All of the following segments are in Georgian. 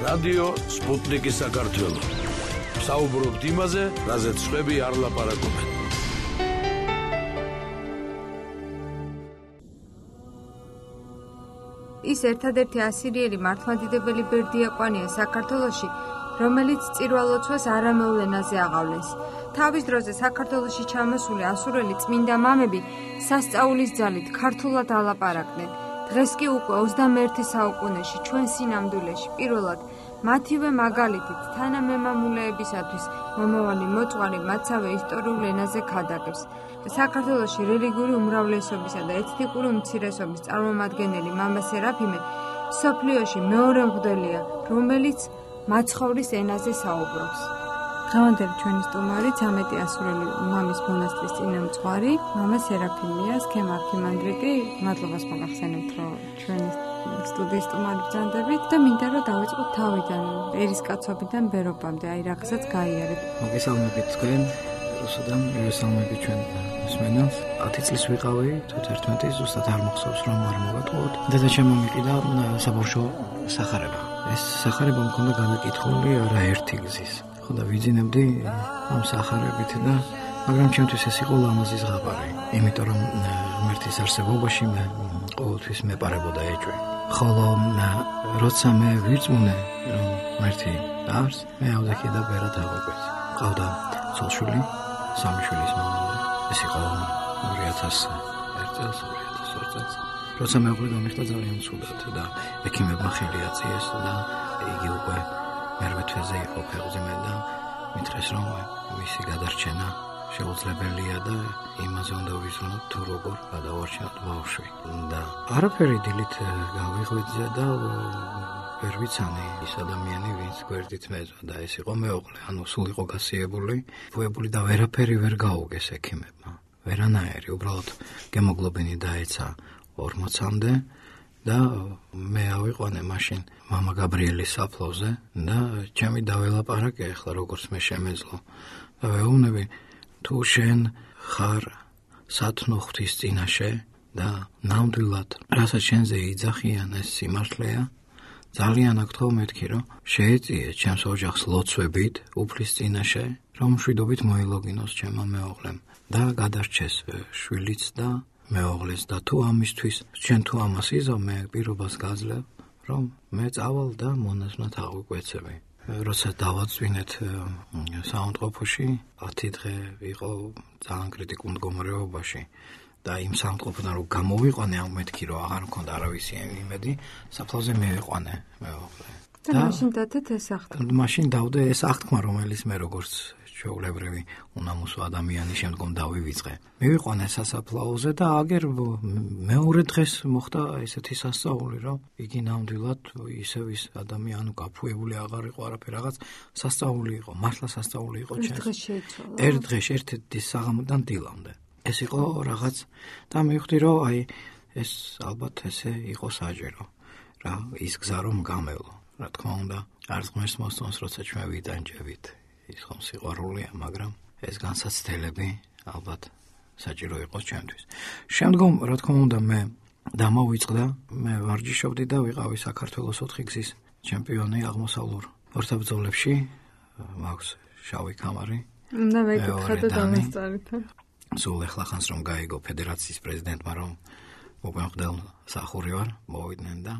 რადიო სპუტნიკი საქართველო. საუბრობთ იმაზე, რაზეც სხვები არ ლაპარაკობენ. ის ერთადერთი ასირიელი მართლმადიდებელი ბერდიაკვანია საქართველოში, რომელიც წირვალოცვას არამეულ ენაზე აღავლეს. თავის დროზე საქართველოში ჩამოსული ასურელი წმინდა მამები სასწაულის ძალით ქართულად ალაპარაკდნენ. დღეს კი უკვე 21 საუკუნეში ჩვენ სინამდვილეში პირველად მათივე მაგალითით თანამემამულეებისათვის მომავალი მოწყალე მათსავე ისტორიულ ენაზე ქადაგებს. საქართველოში რელიგიური უმრავლესობისა და ეთნიკური უმცირესობის წარმომადგენელი მამა სერაფიმე სოფლიოში მეორე მღვდელია, რომელიც მაცხოვრის ენაზე საუბრობს. დღევანდელი ჩვენი სტუმარი 13 ასურელი მამის მონასტრის წინამძღვარი მამა სერაფიმეა, სქემ არქიმანდრიტი. მადლობას მოგახსენებთ, რომ ჩვენი სტუდიის სტუმარი ბრძანდებით და მინდა რომ დავიწყოთ თავიდან, ერისკაცობიდან ბერობამდე, აი რაღაცაც გაიარეთ. მოგესალმებით თქვენ, რუსუდან მოგესალმებით ჩვენ მსმენელს. 10 წლის ვიყავი, თუ 11 ზუსტად არ მახსოვს რომ არ მოვატყუოთ. დედაჩემმა მიყიდა საბავშვო სახარება. ეს სახარება მქონდა განაკითხული არაერთი გზის. ხო და ვიძინებდი ამ სახარებით და მაგრამ ჩემთვის ეს იყო ლამაზი ზღაპარი, იმიტომ რომ ღმერთის არსებობაში მე ყოველთვის მეპარებოდა ეჭვი. ხოლო როცა მე ვირწმუნე რომ ღმერთი არის, მე ავდექი და ბერად ავაკვეთ. ყავდა ცოლ-შვილი, 3 შვილის მამა. ეს იყო 2001 წელს, 2002 წელს. როცა მეუღლე გამიხდა ძალიან ცუდად და ექიმებმა ხელი აწიეს და იგი უკვე მერვე თვეზე იყო ფეხზე და მითხრეს რომ მისი გადარჩენა შეუძლებელია და იმაზე უნდა ვიზრუნოთ თუ როგორ გადავარჩინოთ ბავშვი. და არაფერი დილით გავიღვიძე და ვერ ვიცანი ის ადამიანი, ვინც გვერდით მეძვა და ეს იყო მეუღლე, ანუ სულ იყო გასიებული, ვუებული და ვერაფერი ვერ გაუგეს ექიმებმა. ვერანაირი, უბრალოდ გემოგლობინი დაეცა 40-მდე და მე ავიყვანე მაშინ მამა გაბრიელის საფლავზე და ჩემი დაველაპარაკე ახლა როგორც მე შემეძლო და ვეუბნები თუ შენ ხარ სათნო ღვთის წინაშე და ნამდვილად რასაც შენზე იძახიან ეს სიმართლეა, ძალიან აქ თქო მეთქი რომ შეეწიე ჩემს ოჯახს ლოცვებით უფლის წინაშე, რომ მშვიდობით მოილოგინოს ჩემმა მეუღლემ და გადარჩეს შვილიც და მეუღლეს და თუ ამისთვის ჩვენ თუ ამას იზამ მე პირობას გაძლევ რომ მე წავალ და მონაზვნად აღვიკვეცები. როცა დავაწვინეთ საავადმყოფოში 10 დღე ვიყო ძალიან კრიტიკულ მდგომარეობაში და იმ საავადმყოფოდან რომ გამოვიყვანე ამ მეთქი რომ აღარ მქონდა არავისი იმედი, საფლავზე მივიყვანე მეუღლე. და მაშინ დადეთ ეს აღთქმა. მაშინ დავდე ეს აღთქმა, რომელიც მე როგორც ჩვეულებრივი უნამუსო ადამიანი შემდგომ დავივიწყე. მივიყვანე სასაფლაოზე და აგერ მეორე დღეს მოხდა ესეთი სასწაული, რომ იგი ნამდვილად ისევ ის ადამიანი გაფუებული აღარ იყო არაფერი, რაღაც სასწაული იყო, მართლა სასწაული იყო ჩემს. ერთ დღეში ერთ საღამოდან დილამდე. ეს იყო რაღაც და მივხვდი რომ აი ეს ალბათ ესე იყო საჯერო. რა ის გზა რომ გამელო. რა თქმა უნდა, არც ღმერთს მოსწონს, როცა ჩვენ ვიდანჯებით. ის ხომ სიყვარულია, მაგრამ ეს განსაცდელები ალბათ საჭირო იყო ჩემთვის. შემდგომ, რა თქმა უნდა, მე დამოვიწყდა, მე ვარჯიშობდი და ვიყავი საქართველოს 4 გზის ჩემპიონი აღმოსავლურ ორთაბრძოლებში. მაქვს შავი კამარი. და ვეკითხა და დამესწარით. სულ ეხლახანს რომ გაიგო ფედერაციის პრეზიდენტმა რომ მოგმეხდელ სახური ვარ, მოვიდნენ და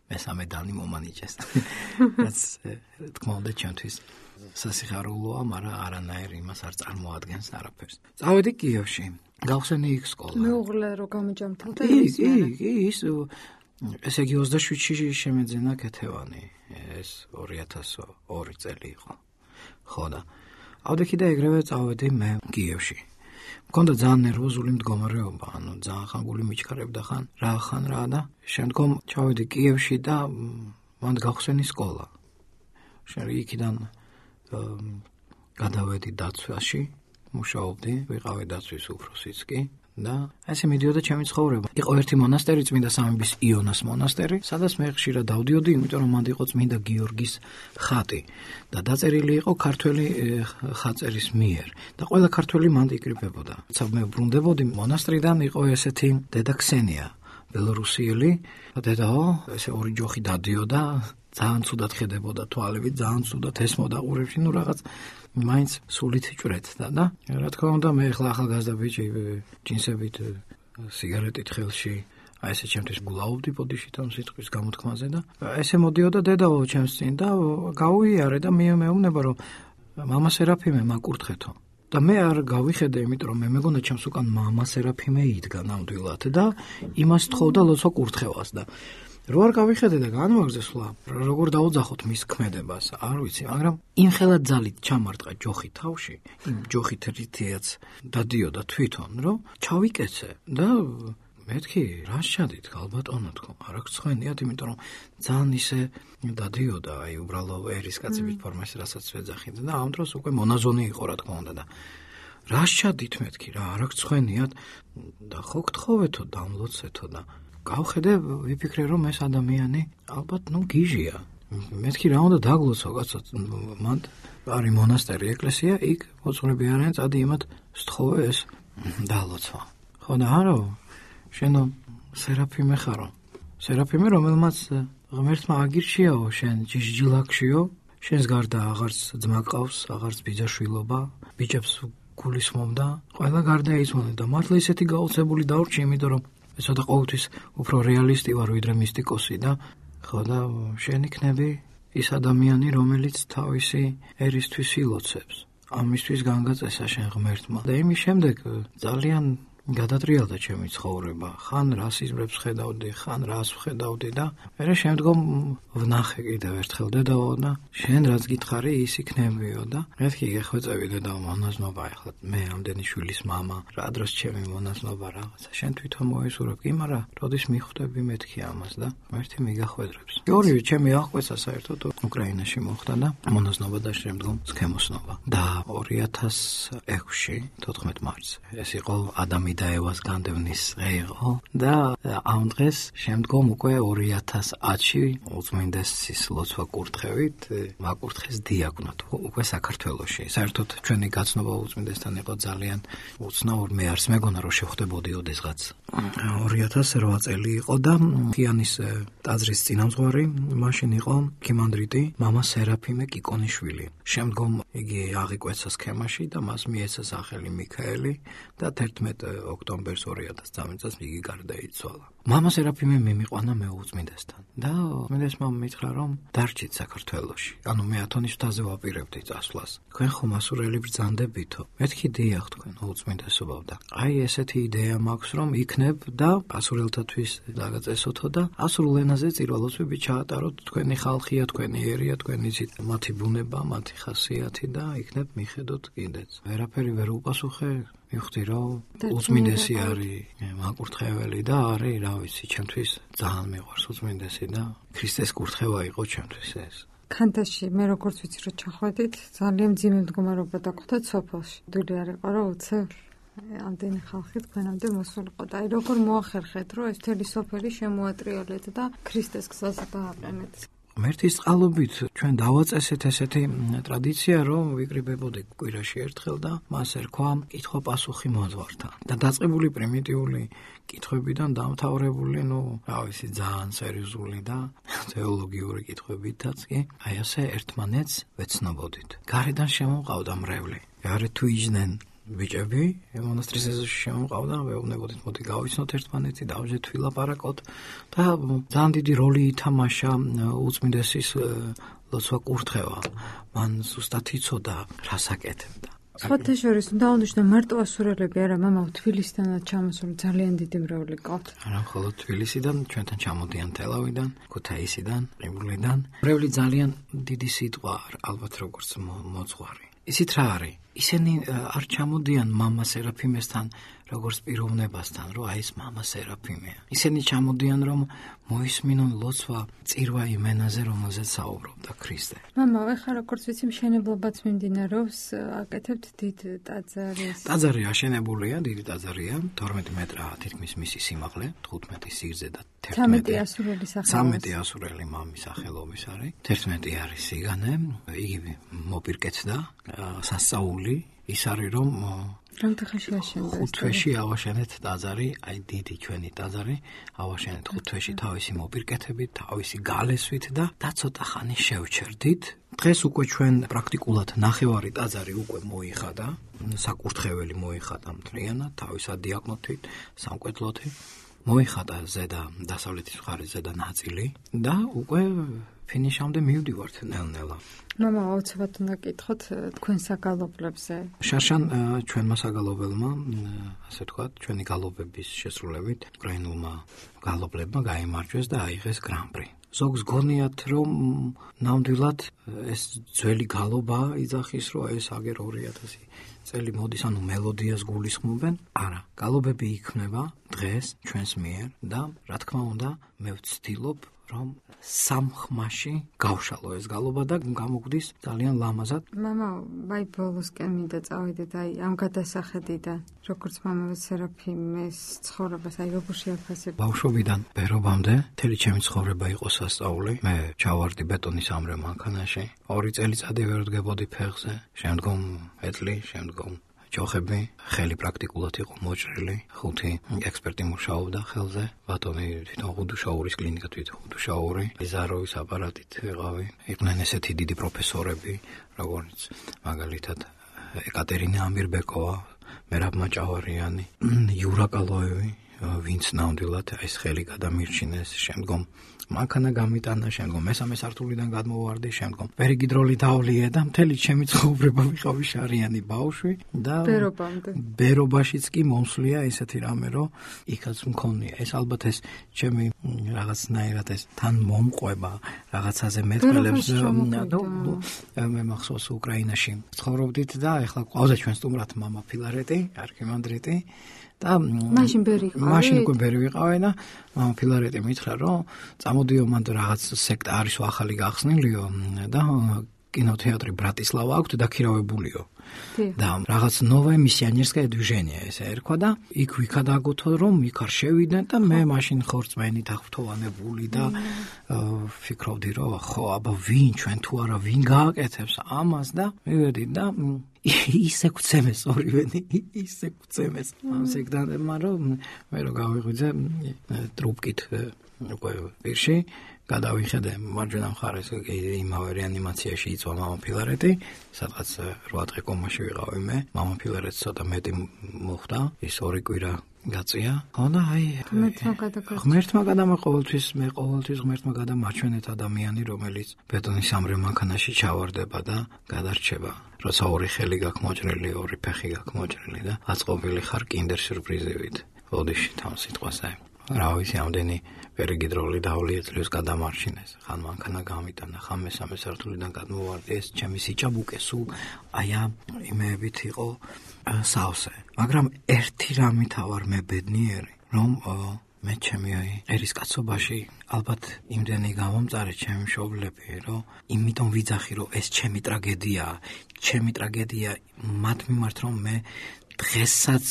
მესამე დანი მომანიჭეს. რაც თქმა უნდა ჩემთვის სასიხარულოა, მაგრამ არანაირი იმას არ წარმოადგენს არაფერს. წავედი კიევში, გავხსენე იქ სკოლა. მეუღლე რო გამიჯამთელდა ის ესე იგი 27-ში შემეძინა კეთევანი. ეს 2002 წელი იყო. ხო და ავდექი და ეგრევე წავედი მე კიევში. მქონდა ძალიან ნერვოზული მდგომარეობა, ანუ ძალიან ხან გული მიჩქარებდა ხან რა და შემდგომ ჩავედი კიევში და მან გავხსენი სკოლა. იქიდან გადავედი დაცვაში, მუშაობდი, ვიყავი დაცვის უფროსიც კი და ესე მიდიოდა ჩემი ცხოვრება. იყო ერთი მონასტერი, წმინდა სამების იონას მონასტერი, სადაც მე ხშირად დავდიოდი, იმიტომ რომ მანდ იყო წმინდა გიორგის ხატი და დაწერილი იყო ქართველი ხატწერის მიერ და ყველა ქართველი მანდ იკრიბებოდა. მე ბრუნდებოდი მონასტრიდან, იყო ესეთი დედა ქსენია, ბელორუსიელი დედაო, ესე ორი ჯოხი დადიოდა, ძალიან ცუდად ხედებოდა თვალებით, ძალიან ცუდად ესმოდა ყურებში, ნუ რაღაც მაინც სულით ჭრეთდა და რა თქმა უნდა მე ახლა ახალგაზრდა ბიჭი ჯინსებით სიგარეტით ხელში აი ესე ჩემთვის გულაობდი ბოდიში თომ სიტყვის გამოთქმაზე და ესე მოდიოდა დედაო ჩემს წინ და გავუიარე და მეუბნება რომ მამა სერაფიმე მაკურთხეთო და მე არ გავიხედე იმიტომ რომ მე მეგონა ჩემს უკან მამა სერაფიმე იდგა ნამდვილად და იმას თხოვდა ლოცვა კურთხევას და რო არ გავიხედე და განვაგრძე სვლა როგორ დაუძახოთ მის ქმედებას არ ვიცი მაგრამ იმხელა ძალით ჩამარტყა ჯოხი თავში იმ ჯოხით რითიაც დადიოდა თვითონ რომ ჩავიკეცე და მეთქი რა შეადით ალბათონა თქო არ აქვს ცხენიათ იმიტომ რომ ძალიან ისე დადიოდა აი უბრალო ერის კაცების ფორმაში რასაც ვეძახით და ამ დროს უკვე მონაზონი იყო რა თქმა უნდა და რა შეადით მეთქი რა არ აქვს ცხენიათ და ხო გთხოვეთო დამლოცეთო და გავხედე ვიფიქრე რომ ეს ადამიანი ალბათ ნუ გიჟია მეთქი რა უნდა დაგლოცო კაცო მან არის მონასტერი ეკლესია იქ მოწმეები არიან წადი იმათ სთხოვე ეს დალოცვა ხო და არა შენო სერაფიმე ხარო სერაფიმე რომელმაც ღმერთმა აგირჩიაო შენ ჯიჟჯილაკშიო შენს გარდა აღარც ძმა ყავს აღარც ბიძაშვილობა ბიჭებს გულისხმობდა ყველა გარდა იცვოდნენ და მართლა ისეთი გაოცებული დავრჩი იმიტომ რომ ცოტა ყოველთვის უფრო რეალისტი ვარ ვიდრე მისტიკოსი და ხო და შენ იქნები ის ადამიანი რომელიც თავისი ერისთვის ილოცებს ამისთვის განგაწესა შენ ღმერთმა და იმის შემდეგ ძალიან გადატრიალდა ჩემი ცხოვრება ხან რასიზმებს ხედავდი ხან რას ვხედავდი და მერე შემდგომ ვნახე კიდევ ერთხელ დედაო და შენ რაც გითხარი ის იქნებიო და მეთქი გეხვეწები დედაო მონაზნობა ახლა მე ამდენი შვილის მამა რა დროს ჩემი მონაზნობა რაღაცა შენ თვითონ მოისურვებ კი მაგრამ როდის მიხვდები მეთქი ამას და ერთი მიგახვედრებს ორივე ჩემი აღკვეცა საერთოდ უკრაინაში მოხდა და მონაზნობა და შემდგომ სქემოსნობა და 2006-ში 14 მარტს ეს იყო ადამი და ევას განდევნის დღე იყო და ამ დღეს შემდგომ უკვე 2010-ში უწმინდესის ლოცვა კურთხევით მაკურთხეს დიაკვნად უკვე საქართველოში საერთოდ ჩვენი გაცნობა უწმინდესთან იყო ძალიან უცნაური მე არც მეგონა რომ შევხვდებოდი ოდესღაც 2008 წელი იყო და ქიანის ტაძრის წინამძღვარი მაშინ იყო ქიმანდრიტი მამა სერაფიმე კიკონიშვილი შემდგომ იგი აღიკვეცა სქემაში და მას მიეცა სახელი მიქაელი და 11 ოქტომბერს 2013 წელს იგი გარდაიცვალა. მამა სერაფიმე მიმიყვანა მეუწმინდესთან და უწმინდესმა მითხრა რომ დარჩით საქართველოში. ანუ მე ათონის მთაზე ვაპირებდი წასვლას. თქვენ ხომ ასურელი ბრძანდებითო? მეთქი დიახ თქვენ უწმინდესობავ და აი ესეთი იდეა მაქვს რომ იქნებ და ასურელთათვის დაგაწესოთო და ასურულ ენაზე წირვალოსები ჩაატაროთ თქვენი ხალხია, თქვენი ერია, თქვენი მათი ბუნება, მათი ხასიათი და იქნებ მიხედოთ კიდეც. ვერაფერი ვერ უპასუხე მივხვდი რომ უწმინდესი არის მაკურთხეველი და არის რა ვიცი ჩემთვის ძალიან მიყვარს უწმინდესი და ქრისტეს კურთხევა იყო ჩემთვის ეს ქანთაში მე როგორც ვიცი რომ ჩახვედით ძალიან მძიმე მდგომარეობა დაგხვდა სოფელში დული არ იყო რომ უცებ ამდენი ხალხი თქვენამდე მოსულიყო და აი როგორ მოახერხეთ რომ ეს მთელი სოფელი შემოატრიალეთ და ქრისტეს გზაზე დააყენეთ ღმერთის წყალობით ჩვენ დავაწესეთ ესეთი ტრადიცია, რომ ვიკრიბებოდი კვირაში ერთხელ და მას ერქვა კითხვა-პასუხი მოძღვართან. და დაწყებული პრიმიტიული კითხვებიდან დამთავრებული, რა ვიცი, ძალიან სერიოზული და თეოლოგიური კითხვებითაც კი, აი ასე ერთმანეთს ვეცნობოდით. გარედან შემოყავდა მრევლი. გარეთ თუ იჯდნენ ბიჭები, მონასტრის ეზოში შემოყავდა, ვეუბნებოდით, მოდი გავიცნოთ ერთმანეთი, დავждეთ ვილაპარაკოთ და ძალიან დიდი როლი ითამაშა უწმინდესის ლოცვა კურთხევა. მან ზუსტად იცოდა რას აკეთებდა. სხვათა შორის უნდა აღნიშნო მარტო ასურელები არა, მამაო თბილისიდანაც ჩამოსული ძალიან დიდი მრევლი ყავთ. არა, მხოლოდ თბილისიდან, ჩვენთან ჩამოდიან თელავიდან, ქუთაისიდან, ყირიმლიდან. მრევლი ძალიან დიდი სიტყვა ალბათ როგორც მოძღვარი. ისიც რა არის? ისინი არ ჩამოდიან მამა სერაფიმესთან როგორც პიროვნებასთან, რომ აი ეს მამა სერაფიმეა. ისინი ჩამოდიან რომ მოისმინონ ლოცვა წირვა იმენაზე, რომელზეც საუბრობდა ქრისტე. მამაო, ეხლა როგორც ვიცი, მშენებლობაც მიმდინარეობს, აკეთებთ დიდ ტაძარს. ტაძარი აშენებულია, დიდი ტაძარია, 12 მეტრა თითქმის მისი სიმაღლე, 15 სიგრძე და 13 ასურელი სახელობის. 13 ასურელი მამის სახელობის არის. 11 არის სიგანე, იგი მოპირკეთდა სასწაული ის არის რომ რამდენი ხანში აშენდა? 5 თვეში ავაშენეთ ტაძარი, აი დიდი ჩვენი ტაძარი, ავაშენეთ 5 თვეში თავისი მოპირკეთებით, თავისი გალესვით და ცოტა ხანი შევჩერდით. დღეს უკვე ჩვენ პრაქტიკულად ნახევარი ტაძარი უკვე მოიხადა, საკურთხეველი მოიხადა მთლიანად, თავის დიაგნოთით, სამკვეთლოთი. მოიხადა ზედა დასავლეთის მხარის ზედა ნაწილი და უკვე ფინიშამდე მივდივართ ნელ-ნელა. მამა, აუცილებლად უნდა გითხოთ თქვენ საგალობლებზე. შარშან ჩვენმა საგალობელმა, ასე ვთქვათ, ჩვენი გალობების შესრულებით უკრაინულმა გალობლებმა გაიმარჯვეს და აიღეს გრან-პრი. ზოგს გონიათ, რომ ნამდვილად ეს ძველი გალობა იძახის, რომ ეს აგერ 2000 წელი მოდის, ანუ მელოდიას გულისხმობენ. არა, გალობები იქმნება დღეს ჩვენს მიერ და რა თქმა უნდა, მე ვცდილობ, რომ სამხმაში გავშალო ეს გალობა და გამოგვდის ძალიან ლამაზად. მამა, აი ბოლოსკენ მინდა წავიდეთ აი ამ გადასახედიდან. როგორც მამაო სერაფიმეს ცხოვრებას აი როგორ შეაფასებ? ბავშვობიდან ბერობამდე მთელი ჩემი ცხოვრება იყო სასწაული. მე ჩავარდი ბეტონის ამრე მანქანაში. 2 წელიწადი ვერ ვდგებოდი ფეხზე. შემდგომ ეტლი, შემდგომ ჯოხები, ხელი პრაქტიკულად იყო მოჭრილი. 5 ექსპერტი მუშაობდა ხელზე. ბატონი თვითონ ხუდუშაურის კლინიკა, თვითონ ხუდუშაური, იზაროვის აპარატით ვიყავი. იყვნენ ესეთი დიდი პროფესორები, როგორც მაგალითად ეკატერინა ამირბეკოვა, მერაბ მაჭავარიანი, იურა კალოევი, ვინც ნამდვილად ეს ხელი გადამირჩინეს. შემდგომ მანქანა გამიტანა, შემდგომ მესამე სართულიდან გადმოვარდი, შემდგომ პერიგიდროლი დავლიე და მთელი ჩემი ცხოვრება ვიყავი შარიანი ბავშვი და ბერობაშიც კი მომსვლია ესეთი რამე, რომ იქაც მქონია. ეს ალბათ ეს ჩემი რაღაცნაირად ეს თან მომყვება რაღაცაზე მეტყველებს და მე მახსოვს უკრაინაში ცხოვრობდით და ეხლა ყავდა ჩვენ სტუმრად მამა ფილარეტი, არქიმანდრიტი და მაშინ უკვე ბერი ვიყავი და მამა ფილარეტი მითხრა, რომ წამოდიო მანდ რაღაც სექტა არის ახალი გახსნილიო და კინოთეატრი ბრატისლავა აქვს დაქირავებულიო. და რაღაც ნოვое მისიონერское движение ესე ერქვა და იქ ვიქადაგოთო რომ იქ არ შევიდნენ და მე მაშინ ხორცმენით აღფრთოვანებული და ვფიქრობდი რომ ხო აბა ვინ ჩვენ თუ არა ვინ გააკეთებს ამას და მივედი და ისე გვცემეს ორივენი ისე გვცემეს ამ სექტანტებმა რომ მე რო გავიღვიძე ტრუბკით უკვე პირში გადავიხედე მარჯვენა მხარეს იმავე რეანიმაციაში იწვა მამა ფილარეტი, სადღაც 8 დღე კომაში ვიყავი მე. მამა ფილარეტს ცოტა მეტი მოხდა, ის 2 კვირა გაწია. ხო და აი ღმერთმა გადამა ყოველთვის ღმერთმა გადამარჩენეთ ადამიანი, რომელიც ბეტონის ამრე მანქანაში ჩავარდება და გადარჩება. როცა 2 ხელი გაქვს მოჭრილი, 2 ფეხი გაქვს მოჭრილი და აწყობილი ხარ კინდერ სიურპრიზებით. ბოდიში თან სიტყვაზე. რა ვიცი, ამდენი პერიგიდროლი დავლიე წლის გადამარჩინეს. ხან მანქანა გამიტანა, ხან მესამე სართულიდან გადმოვარდი, ეს ჩემი სიჭაბუკე სულ აი ამ იმეებით იყო სავსე. მაგრამ ერთი რამით ვარ მე ბედნიერი, რომ მე ჩემი ერისკაცობაში ალბათ იმდენი გამომწარე ჩემი მშობლები, რომ იმიტომ ვიძახი, რომ ეს ჩემი ტრაგედია მათ მიმართ, რომ მე დღესაც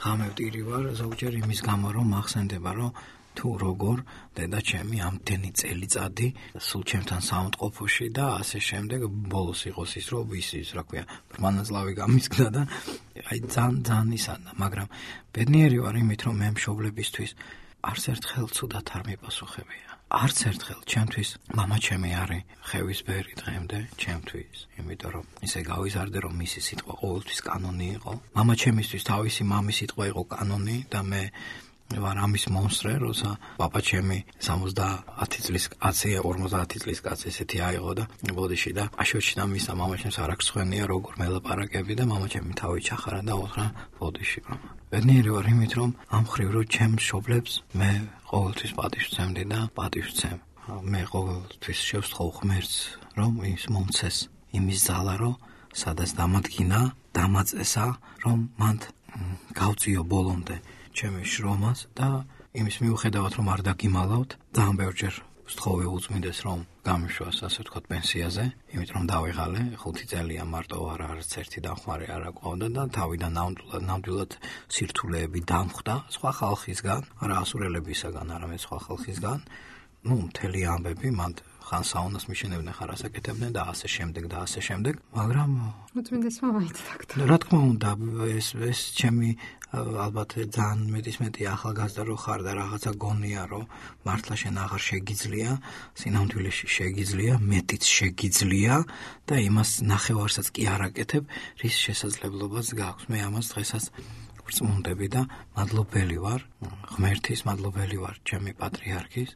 ღამევტირი ვარ ზოგჯერ იმის გამო, რომ მახსენდება, რომ თუ როგორ დედა ჩემი ამდენი წელიწადი სულ ჩემთან საუნდყოფოში და ასე შემდეგ ბოლოს იყოს ის, რომ ის რა ქვია, მანაზლავი გამისკდა და აი ძალიან ისანა, მაგრამ ბედნიერი ვარ იმით, რომ მე მშობლებისთვის არც ერთხელ ცუდად არ მიპასუხებია. არც ერთხელ ჩემთვის მამა ჩემი არის ხევის ბერი დღემდე ჩემთვის, იმიტომ რომ ისე გავიზარდე, რომ მისი სიტყვა ყოველთვის კანონი იყო. მამა ჩემისთვის თავისი მამის სიტყვა იყო კანონი და მე ვარ ამის მონსტრე, როცა პაპა ჩემი 70 წლის კაცია, 50 წლის კაცი ესეთი აიღო და ბოდიში და აშოჩნა მისა მამა ჩემს არ აქვს ხვენია როგორ მელაპარაკები და მამა ჩემი თავი ჩახარა და უთხრა ბოდიში მამა. ბედნიერი ვარ იმით, რომ ამ ხრივ რო ჩემს მშობლებს მე ყოველთვის პატივს ვცემდი და პატივს ვცემ. მე ყოველთვის შევსთხოვ ღმერთს, რომ ის მომცეს იმის ძალა, რომ სადაც დამადგინა, დამაწესა, რომ მან გავწიო ბოლომდე ჩემი შრომას და იმის მიუხედავად რომ არ დაგიმალავთ, ძალიან ბევრჯერ ვსთხოვე უწმინდეს რომ გამიშვას, ასე ვთქვათ, პენსიაზე, იმიტომ რომ დავიღალე 5 წელია მარტო არც ერთი დამხმარე არ აყვავდა და თავიდან ნამდვილად სირთულეები დამხვდა სხვა ხალხისგან, არა ასურელებისაგან, არამედ სხვა ხალხისგან ნუ მთელი ამბები მან ხან საუნას მიშენებდნენ, ხარ ასაკეთებდნენ და ასე შემდეგ, მაგრამ უწმინდეს მომაიცდაგდა. რა თქმა უნდა, ეს ჩემი ალბათ ძალიან მეტი ახალგაზრდა რო ხარ და რაღაცა გონია, რომ მართლა შენ აღარ შეგიძლია, სინამდვილეში შეგიძლია, მეტიც შეგიძლია და იმას ნახევარსაც კი არ აკეთებ, რის შესაძლებლობაც გაქვს. მე ამას დღესაც ვწმუნდები და მადლობელი ვარ, ღმერთის მადლობელი ვარ, ჩემი პატრიარქის,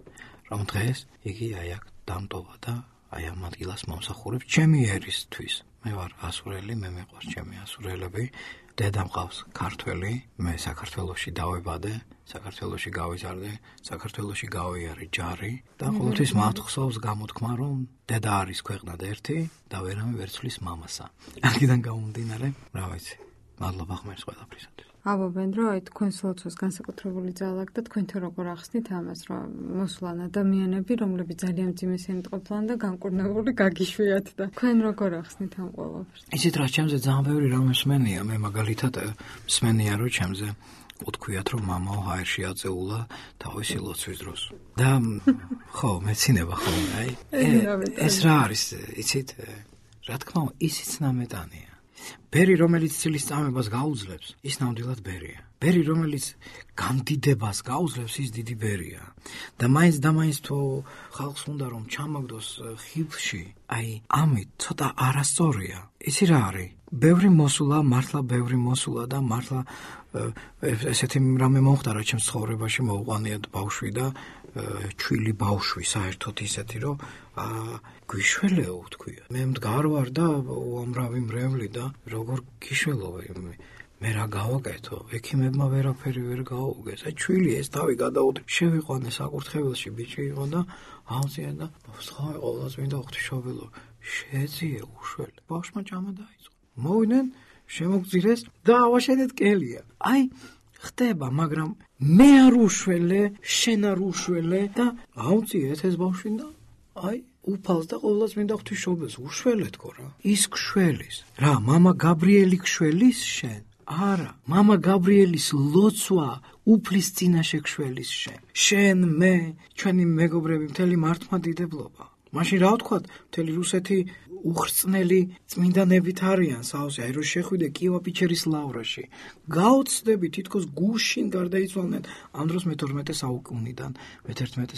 რომ დღეს იგი აი აქ დამტოვა და აი ამ ადგილას მომსახურებს ჩემი ერისთვის. მე ვარ ასურელი, მე მიყვარს ჩემი ასურელები. დედა მყავს ქართველი, მე საქართველოში დავებადე, საქართველოში გავიზარდე, საქართველოში გავიარე ჯარი და ყოველთვის მათხოვს გამოთქმა, რომ დედა არის ქვეყნად ერთი და ვერამე ვერ ცვლის მამასა. აქედან გამომდინარე, რა ვიცი, მადლობა ღმერთს ყველაფრისათვის. აბობენ რომ აი თქვენს ლოცვას განსაკუთრებული ძალა აქვს და თქვენ თუ როგორ ახსნით ამას, რომ მოსვლან ადამიანები, რომლებიც ძალიან მძიმე სენით ყოფილან და განკურნებული გაგიშვიათ და თქვენ როგორ ახსნით ამ ყველაფერს? იცით რა, ჩემზე ძალიან ბევრი რამე მსმენია, მე მაგალითად მსმენია რომ ჩემზე უთქვიათ რომ მამაო ჰაერში აწეულა თავისი ლოცვის დროს. და ხო, მეცინება ხოლმე, აი ეს რა არის, იცით, რა თქმა უნდა, ისიც ნამეტანია. ბერი, რომელიც ცილის წამებას გაუძლებს, ის ნამდვილად ბერია. ბერი, რომელიც გამდიდებას გაუძლებს, ის დიდი ბერია. და მაინც თუ ხალხს უნდა რომ ჩამაგდოს ხილში, აი ამით ცოტა არასწორია. იცი რა არის? ბევრი მოსულა და მართლა ესეთი რამე მომხდარა ჩემს ცხოვრებაში, მოუყვანიათ ბავშვი და ჩვილი ბავშვი საერთოდ ისეთი რომ გვიშველეო თქვია. მე მდგარ ვარ და უამრავი მრევლი და როგორ გიშველო მე რა გავაკეთო? ექიმებმა ვერაფერი ვერ გაუგეს. აი ჩვილი ეს თავი გადაუთ შევიყვანე საკურთხეველში ბიჭი იყო და ავწია და სხვა ყოველას მინდა ღვთისმშობელო შეძიე უშველი. ბავშვმა ჭამა დაიწყო. მოვიდნენ შემოგძირეს და ავაშენეთ კელია. აი ხდება, მაგრამ მე არ უშველე, შენ არ უშველე და ავწიეთ ეს ბავშვი და აი უფალს და ყოველას მინდა ღვთისმშობელს უშველეთქო რა. ის გშველის. რა, მამა გაბრიელი გშველის შენ? არა, მამა გაბრიელის ლოცვა უფლის წინაშე გშველის შენ. შენ, მე, ჩვენი მეგობრები, მთელი მართლმადიდებლობა. მაშინ რა ვთქვათ, მთელი რუსეთი უხრწნელი წმინდანებით არიან საოცე, აი რომ შეხვიდე კიევა-პეჩერის ლავრაში. გაოცდები, თითქოს გუშინ გარდაიცვალნენ ამ დროს მე-12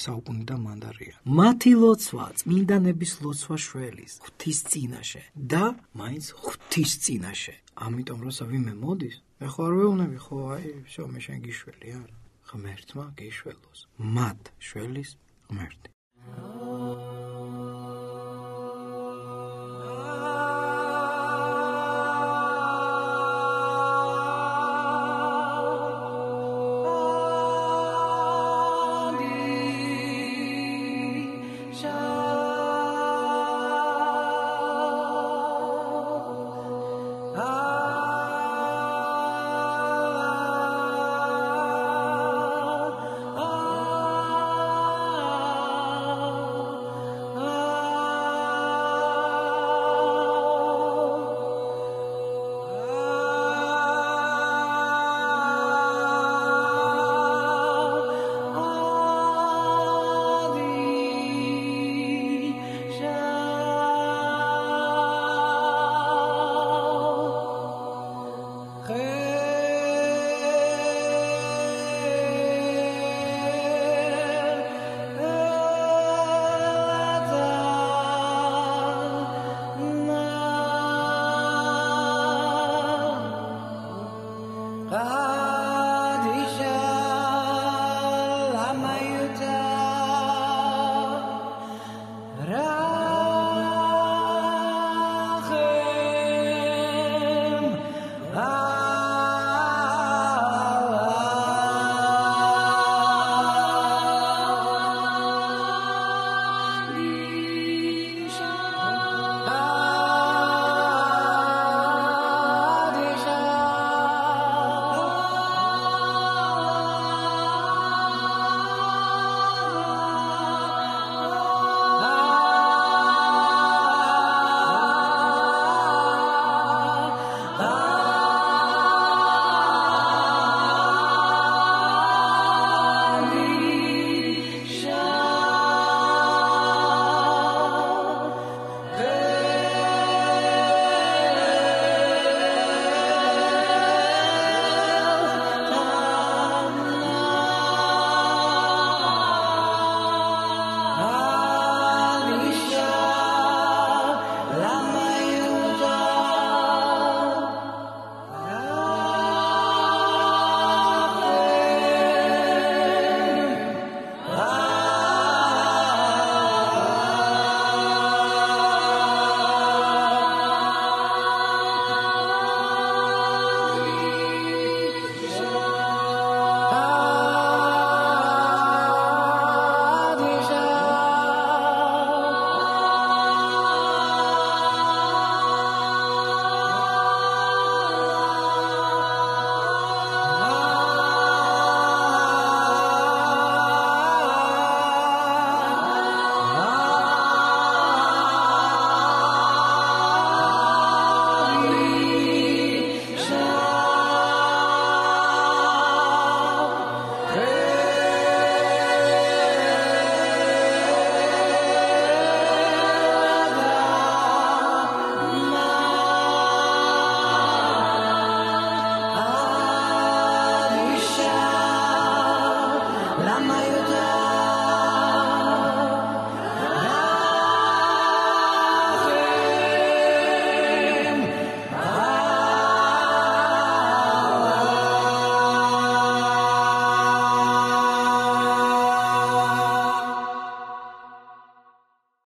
საუკუნიდან მანდარია. მათი ლოცვა, წმინდანების ლოცვა შველის ღვთის წინაშე და მაინც ღვთის წინაშე. ამიტომ როცა ვიმე მოდის, მე ხო არ ვეუბნები, ხო აი, всё, მე შენ გიშველი არა. ღმერთმა გიშველოს. მათ შველის ღმერთი.